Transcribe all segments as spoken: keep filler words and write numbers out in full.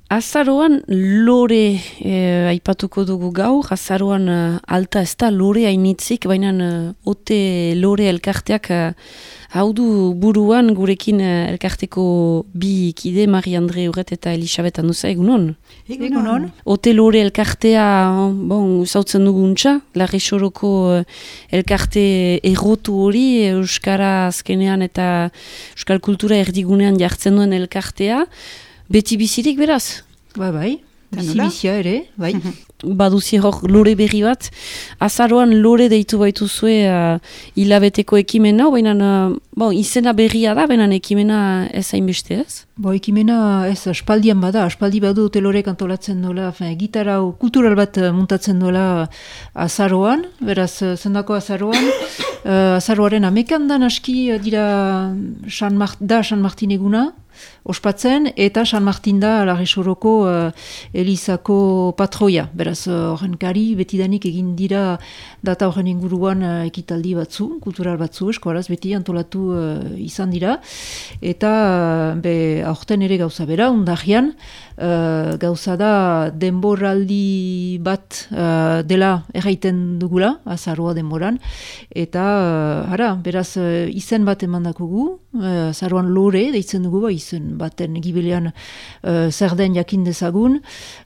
Azaroan lore e, aipatuko dugu gaur, azaroan uh, alta ez da lore hainitzik, baina uh, ote lore elkarteak uh, hau du buruan gurekin uh, elkarteko bi kide, Marie-Andre Urret eta Elisabet Anduza, egunon? Egunon. Ote lore elkartea, bon, zautzen duguntza, Larri Soroko uh, elkarte errotu hori, Euskara azkenean eta Euskal Kultura erdigunean jartzen duen elkartea, beti bizirik beraz? Ba, bai, bizi-bizia ere, bai. Baduzi hor lore berri bat. Azaroan lore deitu baituzue uh, hilabeteko ekimena, baina uh, bon, izena berria da, baina ekimena ez hainbeste ez? Bo, ekimena ez aspaldian bada, aspaldi badu telorek antolatzen dola, gitarra kultural bat muntatzen dola azaroan, beraz zendako azaroan, uh, azaroaren amekan dan aski dira San Mart, da San Martin eguna, ospatzen, eta San Martin da Larri Soroko uh, Elizako patroia. Beraz, horren uh, kari betidanik egin dira data horren inguruan uh, ekitaldi batzu, kultural batzu, eskoraz beti antolatu uh, izan dira. Eta uh, be, aurten ere gauza bera, undarrian, uh, gauza da denboraldi bat uh, dela erraiten dugula, azaroa denboran. Eta, uh, ara, beraz, uh, izen bat emandakugu, uh, azaroan lore, deitzen dugu, ba, izen baten gibilean uh, zer den jakin dezagun.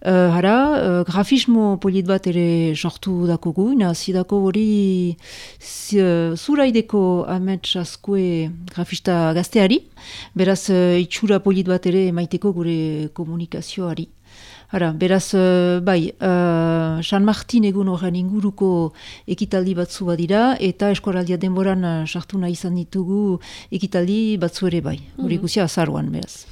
Uh, hara, uh, grafismo polit bat ere sortu dakugu, nazidako hori uh, zuraideko amets askue grafista gazteari, beraz uh, itxura polit bat ere maiteko gure komunikazioari. Hara, beraz, uh, bai, uh, San Martin egun horren inguruko ekitaldi batzu badira, eta eskoraldia denboran uh, sartu nahi izan ditugu ekitaldi batzu ere bai. Hori mm-hmm. guzia azaroan, beraz.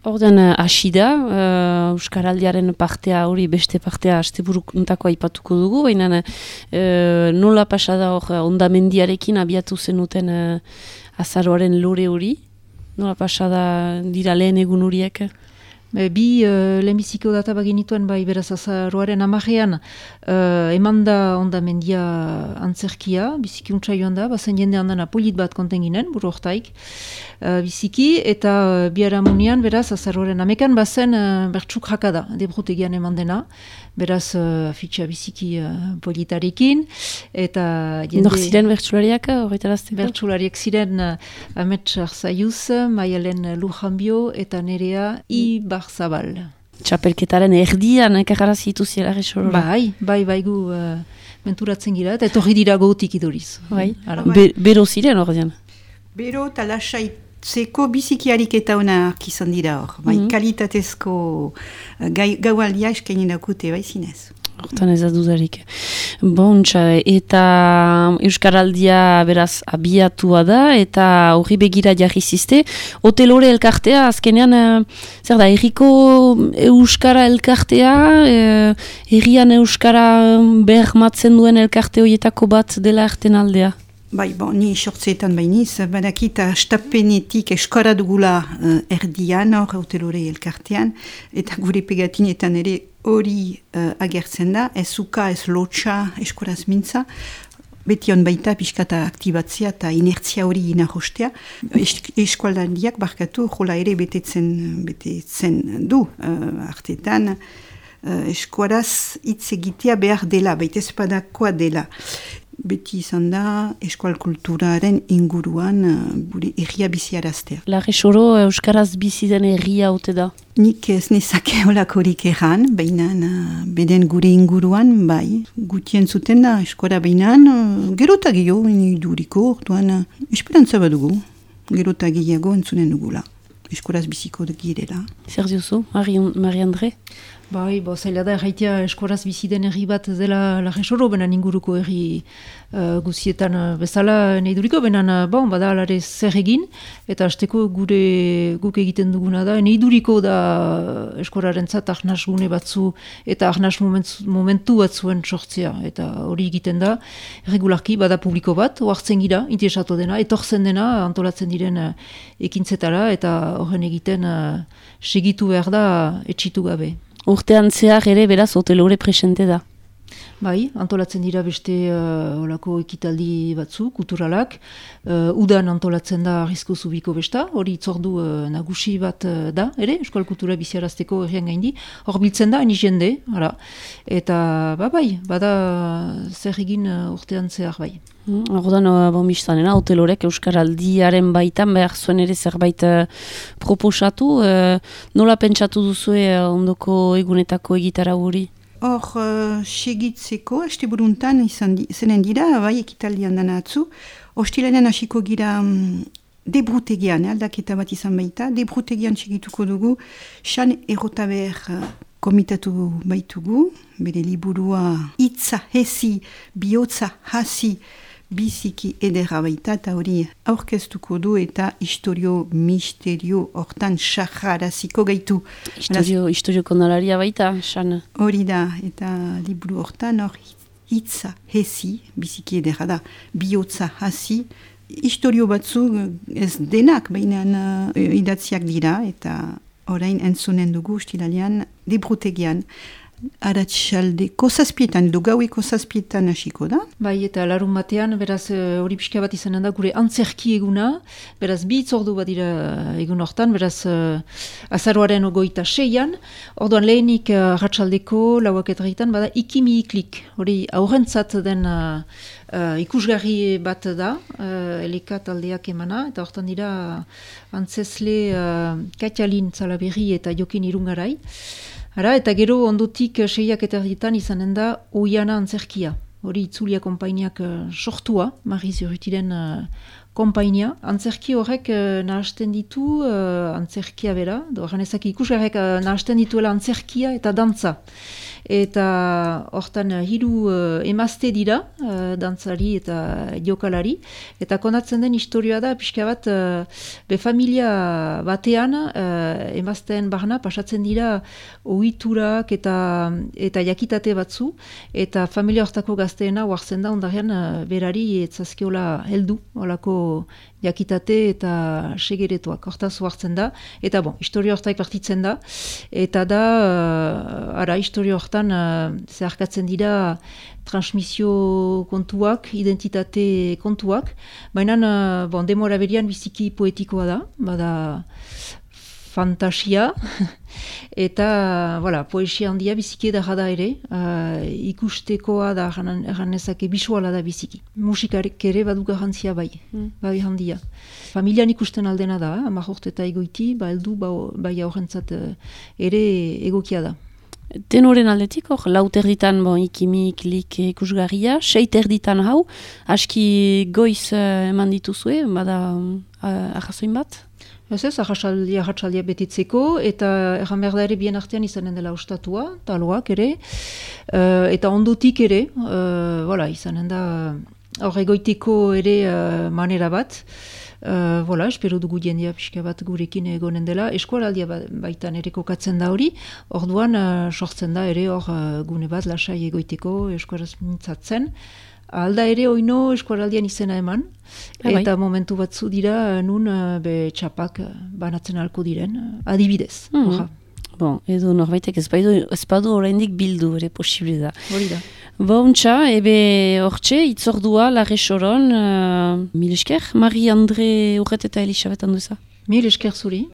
Orden hasi da, uh, Euskaraldiaren partea hori beste partea asteburuntako aipatuko dugu, baina uh, nola pasada hor ondamendiarekin abiatu zenuten uh, azaroaren lore hori? Nola pasada dira lehen egun horiek? Bi uh, lehenbiziko data baginituen bai beraz azaroaren amajean uh, eman da ondamendia antzerkia, biziki untsa joan da, bazen jende handana polit bat konten ginen, buru hortaik, uh, biziki, eta uh, biharamunian beraz azaroaren amekan bazen uh, bertsuk jakada, debrutegian eman dena, beraz uh, fitxa biziki uh, politarekin, eta jende... Nor ziren bertsulariak horretarazteko? Bertsulariak ziren uh, Amets Arzaiuz, Maialen Lujanbio, eta Nerea Ibar Zabal. Txapelketaren erdian ekarra zituziela resorora. Bai, bai, bai gu uh, menturatzen gira, eta etorri dira gotik iduriz. Bai, Be, bero ziren ordean. Bero eta lasaitzeko bizikiarik eta honak izan dira hor. Bai, mm-hmm. Kalitatezko uh, gaualdia eskaini dakute bai zinez. Hortan ez dudarik. Bontxa, eta Euskaraldia beraz abiatua da, eta horri begira jarri zizte. Otelore elkartea, azkenean, zer da, erriko Euskara elkartea, herrian Euskara bermatzen duen elkarte horietako bat dela erten aldea? Bai, bon, ni sortzeetan bainiz, badakita stapenetik eskora dugula uh, erdian, hor Otelore elkartean, eta gure pegatinetan ere hori uh, agertzen da, ez uka, ez lotxa, eskoraz mintza, beti hon baita pixkata aktibatzea eta inertzia hori inarrostea. Es, eskualdandiak barkatu jola ere betetzen, betetzen du uh, artetan, uh, eskuaraz hitz egitea behar dela, baita espadakoa dela. Beti izan da eskual kulturaren inguruan gure uh, erria biziaraztea. Larri Soro Euskaraz bizi den erria haute da? Nik ez nezake holakorik erran, baina uh, beden gure inguruan, bai, gutien zuten da eskora baina uh, gerota gehiago iduriko, orduan uh, esperantza badugu, gerota gehiago entzunen dugula. Eskoraz biziko girela. Zer diozu, Marie-Andre? Bai, bo, zaila da erraitea eskoraz bizi den herri bat dela Larri Soro, benan inguruko herri uh, guzietan uh, bezala nahi duriko, benan, uh, bon, bada alare zer egin, eta hasteko gure guk egiten duguna da, nahi duriko da eskoraren zat arnaz gune batzu, eta arnaz momentu, momentu batzuen sortzea, eta hori egiten da, regularki, bada publiko bat, oartzen gira, interesatu dena, etortzen dena, antolatzen diren uh, ekintzetara, eta horren egiten uh, segitu behar da etxitu gabe. Urtean zehar ere beraz Otelore presente da. Bai, antolatzen dira beste uh, olako ekitaldi batzu, kulturalak. Uh, udan antolatzen da Arrizko Zubiko besta, hori itzordu uh, nagusi bat uh, da, ere, Euskal Kultura biziarazteko herrian gaindi. Hor biltzen da, ani jende, hala. Eta, ba, bai, bada zer egin uh, urtean zehar bai. Ordan, mm, bon biztanena, hotelorek Euskaraldiaren baitan behar zuen ere zerbait uh, proposatu. Uh, nola pentsatu duzue uh, ondoko egunetako egitara hori? Hor, uh, segitzeko, este buruntan izan di, zenen dira, bai ekitaldian dana atzu, hostilenen hasiko gira um, debrutegian, aldaketa bat izan baita, debrutegian segituko dugu, Xan Errotaber uh, komitatu baitugu, bere liburua hitza hezi, bihotza hasi, biziki edera baita, eta hori aurkeztuko du eta historio misterio hortan saharaziko gaitu. Historio, historio kondalaria baita, Xan. Hori da, eta liburu hortan hor hitza hezi, biziki edera da, bihotza hasi, historio batzu ez denak, baina uh, idatziak dira, eta orain entzunen dugu ustilalian debrutegian. Aratxaldeko zazpietan, edo gaueko zazpietan hasiko da. Bai, eta larun batean, beraz, hori pixka bat izanen da, gure antzerki eguna, beraz, bi itzordu bat dira egun hortan, beraz, uh, azaroaren ogoita seian, orduan lehenik uh, ratxaldeko lauak etarritan, bada ikimi iklik, hori aurrentzat den uh, uh, ikusgarri bat da, uh, eleka taldeak emana, eta hortan dira antzesle uh, Katialin Zalaberri eta Jokin Irungarai. Ara, eta gero ondotik seiak eta erdietan izanen da Oiana antzerkia. Hori itzulia konpainiak uh, sortua, Mariz Urrutiren uh, konpainia. Antzerki horrek uh, nahasten ditu uh, antzerkia bera, doan ezak ikusgarrek uh, nahasten dituela antzerkia eta dantza. Eta hortan uh, hiru uh, emazte dira, uh, dantzari eta jokalari, eta konatzen den historioa da, pixka bat, uh, be familia batean, uh, emazteen barna, pasatzen dira ohiturak eta, eta jakitate batzu, eta familia hortako gazteena huartzen da, ondarean uh, berari etzazkiola heldu, holako jakitate eta segeretoak hortaz huartzen da, eta bon, historio hortaik partitzen da, eta da, uh, ara, historio hortan uh, zeharkatzen dira transmisio kontuak, identitate kontuak, baina uh, bon, demora berian biziki poetikoa da, bada fantasia, eta voilà, poesia handia biziki edarra da ere, uh, ikustekoa da erranezake bisuala da biziki. Musikarek ere badu garrantzia bai, mm. bai handia. Familian ikusten aldena da, hamar urte eta egoiti, ba heldu ba, bai aurrentzat uh, ere egokia da. Tenoren aldetik, hor, laut erditan bon, ikimi iklik ikusgarria, seit erditan hau, aski goiz uh, eman dituzue, bada uh, arrazoin bat? Ez ez, arratsaldia arratsaldia betitzeko, eta erran behar da ere bien artean izanen dela ostatua, taloak ere, uh, eta ondotik ere, uh, voilà, izanen da hor egoiteko ere uh, manera bat, Uh, voilà, espero dugu jendea pixka bat gurekin egonen dela. Eskualaldia baitan ere kokatzen da hori, orduan uh, sortzen da ere hor uh, gune bat lasai egoiteko eskuaraz mintzatzen. Alda ere oino eskualaldian izena eman, ah, eta bai. Momentu batzu dira nun uh, be txapak uh, banatzen halko diren, uh, adibidez. Mm-hmm. Bon, edo norbaitek ez badu, ez badu oraindik bildu ere posible da. Hori da. Bontxa, ebe hortxe, itzordua, Larre Soron, uh, mil esker, Marie-Andre Urret eta Elisabet Anduza. Mil esker zuri.